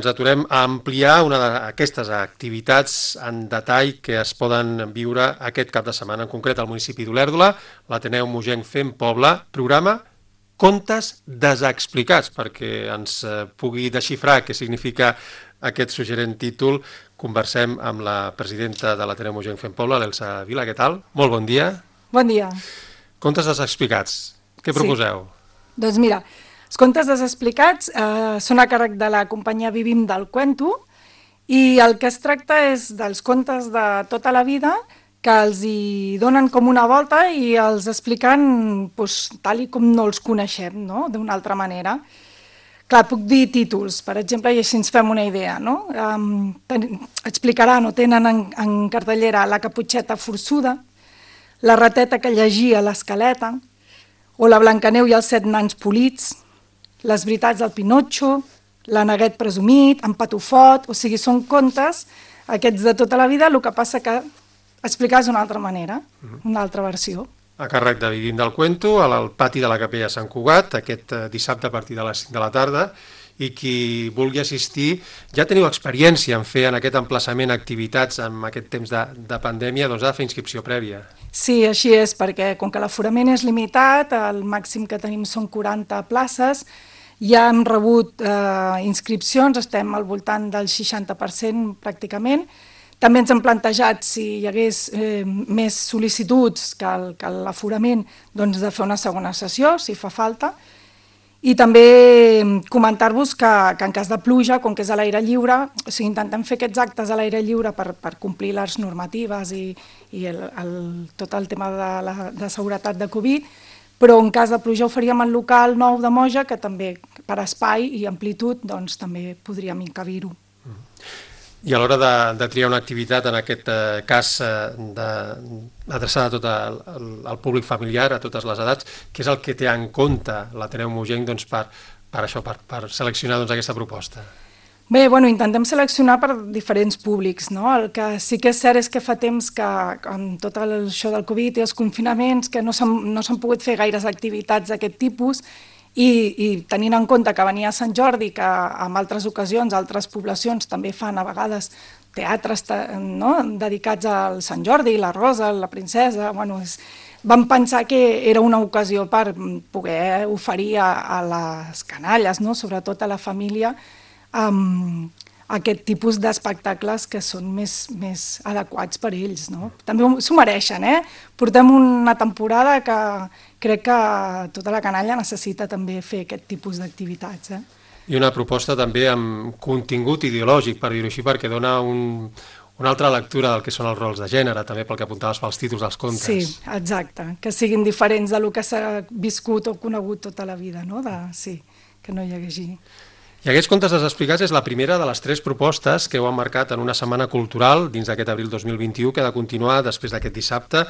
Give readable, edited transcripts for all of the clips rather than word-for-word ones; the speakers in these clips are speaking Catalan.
Ens aturem a ampliar una d'aquestes activitats en detall que es poden viure aquest cap de setmana, en concret al municipi d'Olèrdola, l'Ateneu Mogenc Fem Poble, programa Contes desexplicats, perquè ens pugui desxifrar què significa aquest suggerent títol. Conversem amb la presidenta de l'Ateneu Mogenc Fem Poble, l'Elsa Vila. Què tal? Molt bon dia. Bon dia. Contes desexplicats. Què proposeu? Doncs mira, els contes desexplicats són a càrrec de la companyia Vivim del Cuento i el que es tracta és dels contes de tota la vida que els hi donen com una volta i els expliquen tal i com no els coneixem, no? D'una altra manera. Clar, puc dir títols, per exemple, i així ens fem una idea, no? Explicaran o tenen en cartellera La caputxeta forçuda, La rateta que llegia l'escaleta, o La Blancaneu i els 7 nans polits, Les veritats del Pinotxo, L'Aneguet presumit, En Patufot, o sigui, són contes, aquests de tota la vida, el que passa que explicats d'una altra manera, una altra versió. A càrrec de Vivim del Cuento, al pati de la Capella Sant Cugat, aquest dissabte a partir de les 5 de la tarda, i qui vulgui assistir, ja teniu experiència en fer en aquest emplaçament activitats en aquest temps de pandèmia, doncs ha de fer inscripció prèvia. Sí, així és, perquè com que l'aforament és limitat, el màxim que tenim són 40 places, ja hem rebut inscripcions, estem al voltant del 60% pràcticament. També ens hem plantejat, si hi hagués més sol·licituds que l'aforament, doncs de fer una segona sessió, si fa falta. I també comentar-vos que en cas de pluja, com que és a l'aire lliure, o sigui, intentem fer aquests actes a l'aire lliure per complir les normatives i tot el tema de seguretat de Covid, però en cas de pluja ho faríem al local nou de Moja, que també per espai i amplitud doncs, també podríem encabir-ho. I a l'hora de triar una activitat, en aquest cas adreçada a tot el públic familiar, a totes les edats, què és el que té en compte l'Ateneu Mogenc doncs, per seleccionar aquesta proposta? Bé, intentem seleccionar per diferents públics, no? El que sí que és cert és que fa temps que amb tot això del Covid i els confinaments que no s'han pogut fer gaires activitats d'aquest tipus i tenint en compte que venia Sant Jordi, que en altres ocasions, altres poblacions també fan a vegades teatres dedicats al Sant Jordi, la Rosa, la Princesa, vam pensar que era una ocasió per poder oferir a les canalles, sobretot a la família, aquest tipus d'espectacles que són més adequats per ells. També s'ho mereixen, Portem una temporada que crec que tota la canalla necessita també fer aquest tipus d'activitats. I una proposta també amb contingut ideològic, per dir-ho així, perquè dona una altra lectura del que són els rols de gènere, també pel que apuntaves pels títols dels contes. Sí, exacte, que siguin diferents del que s'ha viscut o conegut tota la vida, que no hi hagi... I aquests contes desexplicats és la primera de les 3 propostes que heu emmarcat en una setmana cultural dins d'aquest abril 2021 que ha de continuar després d'aquest dissabte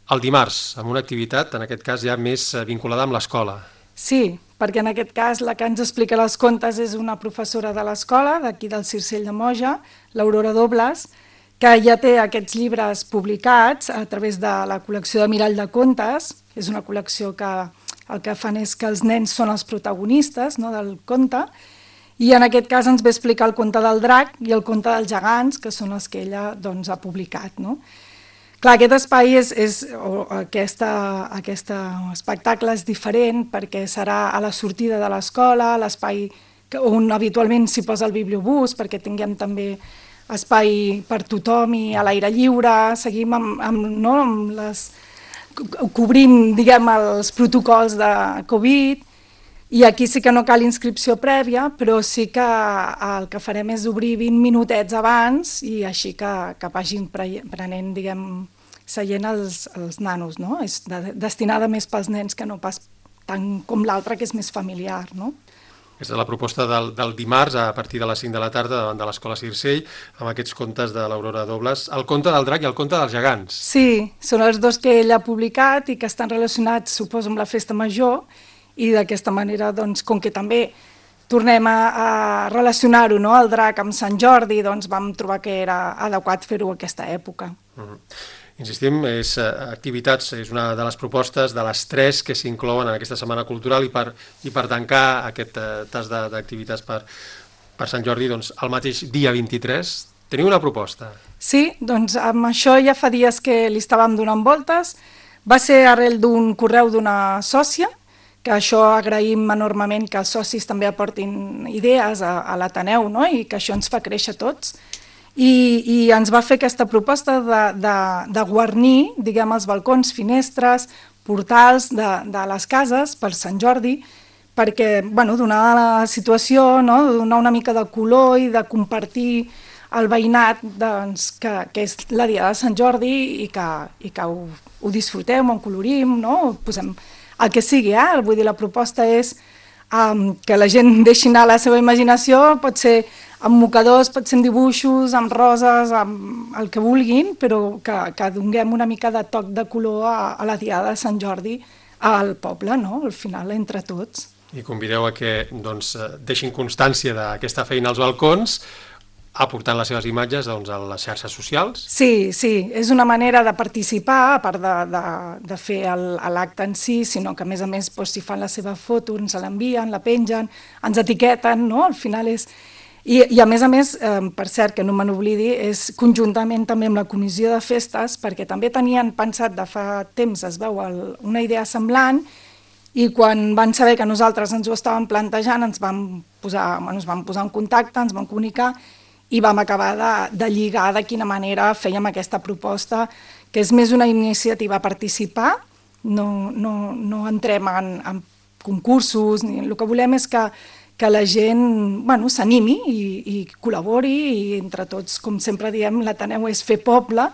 el dimarts, amb una activitat, en aquest cas ja més vinculada amb l'escola. Sí, perquè en aquest cas la que ens explica els contes és una professora de l'escola, d'aquí del Circell de Moja, l'Aurora Dobles, que ja té aquests llibres publicats a través de la col·lecció de Mirall de Contes. És una col·lecció que el que fan és que els nens són els protagonistes del conte, i en aquest cas ens ve explicar el conte del drac i el conte dels gegants, que són els que ella ha publicat. Clar, aquest espai aquest espectacle és diferent perquè serà a la sortida de l'escola, l'espai on habitualment s'hi posa el bibliobús, perquè tinguem també espai per tothom i a l'aire lliure, seguim cobrint, els protocols de Covid. I aquí sí que no cal inscripció prèvia, però sí que el que farem és obrir 20 minutets abans i així que vagin prenent, seient els nanos. És destinada més pels nens que no pas tant com l'altra, que és més familiar. Aquesta és la proposta del dimarts a partir de les 5 de la tarda davant de l'Escola Circell, amb aquests contes de l'Aurora Dobles, el conte del drac i el conte dels gegants. Sí, són els 2 que ella ha publicat i que estan relacionats, suposo, amb la festa major, i d'aquesta manera, com que també tornem a relacionar-ho, el drac amb Sant Jordi, vam trobar que era adequat fer-ho a aquesta època. Insistim, activitats és una de les propostes de les 3 que s'inclouen en aquesta setmana cultural i per tancar aquest tas d'activitats per Sant Jordi, doncs, el mateix dia 23, teniu una proposta. Sí, doncs amb això ja fa dies que li estàvem donant voltes. Va ser arrel d'un correu d'una sòcia, que això agraïm enormement que els socis també aportin idees a l'Ateneu, no? I que això ens fa créixer tots. I ens va fer aquesta proposta de guarnir, diguem, els balcons, finestres, portals de les cases per Sant Jordi, perquè, bueno, donada la situació, no? Donar una mica de color i de compartir el veïnat, doncs, que és la dia de Sant Jordi i que ho disfrutem, ho colorim, no? Posem el que sigui, vull dir, la proposta és que la gent deixi anar la seva imaginació, pot ser amb mocadors, pot ser amb dibuixos, amb roses, amb el que vulguin, però que donem una mica de toc de color a la diada de Sant Jordi al poble, no? Al final, entre tots. I convideu a que doncs, deixin constància d'aquesta feina als balcons, aportant les seves imatges doncs, a les xarxes socials. Sí, és una manera de participar, a part de fer l'acte en si, sinó que a més doncs, si fan la seva foto, ens l'envien, la pengen, ens etiqueten, no? Al final és... I a més, per cert, que no me n'oblidi, és conjuntament també amb la comissió de festes, perquè també tenien pensat de fa temps, es veu, una idea semblant, i quan van saber que nosaltres ens ho estàvem plantejant, ens vam posar en contacte, ens vam comunicar, i vam acabar de lligar de quina manera fèiem aquesta proposta, que és més una iniciativa a participar, no entrem en concursos, el que volem és que la gent s'animi i col·labori, i entre tots, com sempre diem, l'Ateneu és fer poble,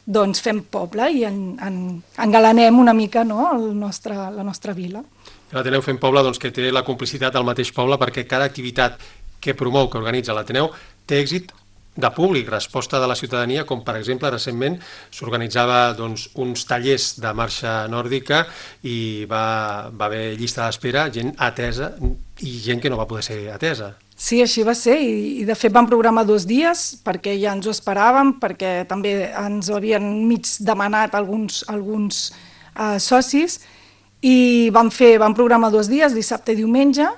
doncs fem poble i engalanem una mica, no, la nostra vila. L'Ateneu Fem Poble, doncs, que té la complicitat del mateix poble, perquè cada activitat que promou, que organitza l'Ateneu, té èxit de públic, resposta de la ciutadania, com per exemple recentment s'organitzava doncs, uns tallers de marxa nòrdica i va haver llista d'espera, gent atesa i gent que no va poder ser atesa. Sí, així va ser, i de fet vam programar 2 dies perquè ja ens ho esperàvem, perquè també ens ho havien mig demanat alguns socis, i vam programar 2 dies, dissabte i diumenge,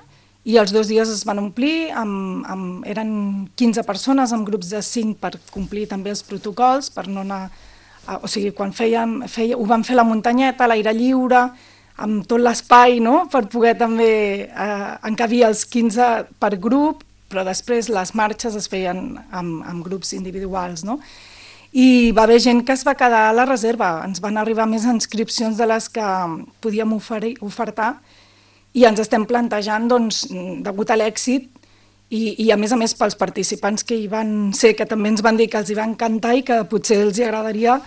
i els 2 dies es van omplir, eren 15 persones amb grups de 5 per complir també els protocols, per no anar... O sigui, quan ho vam fer a la muntanyeta, a l'aire lliure, amb tot l'espai, no?, per poder també encabir els 15 per grup, però després les marxes es feien amb grups individuals, no? I va haver gent que es va quedar a la reserva, ens van arribar més inscripcions de les que podíem ofertar, i ens estem plantejant, doncs, degut a l'èxit, i a més pels participants que hi van ser, que també ens van dir que els hi va encantar i que potser els agradaria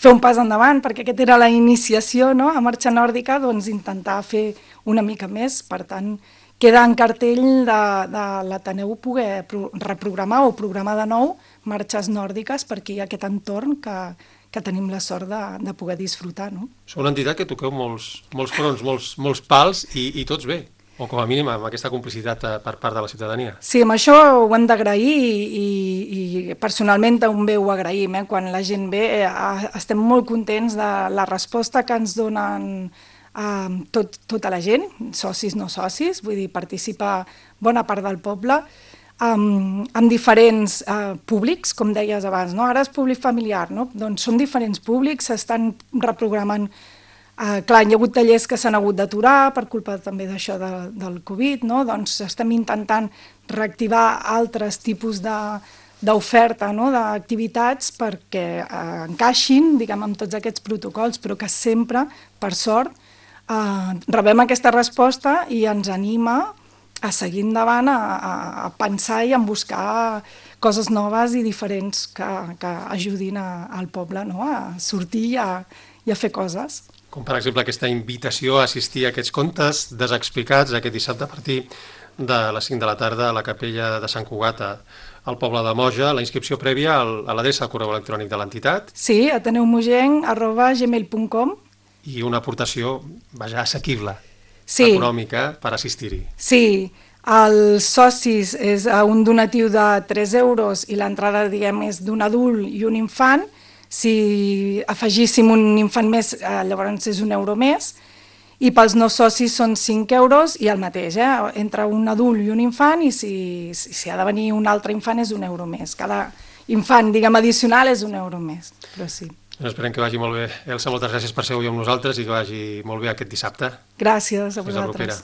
fer un pas endavant, perquè aquesta era la iniciació, no?, a marxa nòrdica, doncs intentar fer una mica més. Per tant, queda en cartell de l'Ateneu poder reprogramar o programar de nou marxes nòrdiques, perquè hi ha aquest entorn que tenim la sort de poder disfrutar, no? Sou una entitat que toqueu molts fronts, molts pals, i tots bé, o com a mínim amb aquesta complicitat per part de la ciutadania. Sí, amb això ho hem d'agrair, i personalment també ho agraïm, quan la gent ve, estem molt contents de la resposta que ens donen tota la gent, socis, no socis, vull dir, participa bona part del poble, amb diferents públics, com deies abans, no? Ara és públic familiar, no? Doncs són diferents públics, s'estan reprogramant. Clar, hi ha hagut tallers que s'han hagut d'aturar per culpa també d'això del Covid, no? Doncs estem intentant reactivar altres tipus d'oferta, no?, d'activitats perquè encaixin, diguem, amb tots aquests protocols, però que sempre, per sort, rebem aquesta resposta i ens anima a seguir endavant, a pensar i a buscar coses noves i diferents que ajudin al poble, no?, a sortir i a fer coses. Com per exemple aquesta invitació a assistir a aquests contes desexplicats aquest dissabte a partir de les 5 de la tarda a la capella de Sant Cugat al poble de Moja, la inscripció prèvia a l'adreça del correu electrònic de l'entitat. Sí, ateneumogenc@gmail.com. I una aportació, assequible, sí, econòmica, per assistir-hi. Sí, els socis és un donatiu de 3 euros i l'entrada, diguem, és d'un adult i un infant. Si afegíssim un infant més, llavors és 1 euro més. i pels no socis són 5 euros i el mateix, entre un adult i un infant, i si ha de venir un altre infant és €1 més. Cada infant, diguem, addicional és €1 més, però sí. Esperem que vagi molt bé. Elsa, moltes gràcies per ser avui amb nosaltres i que vagi molt bé aquest dissabte. Gràcies a Fins la vosaltres. propera.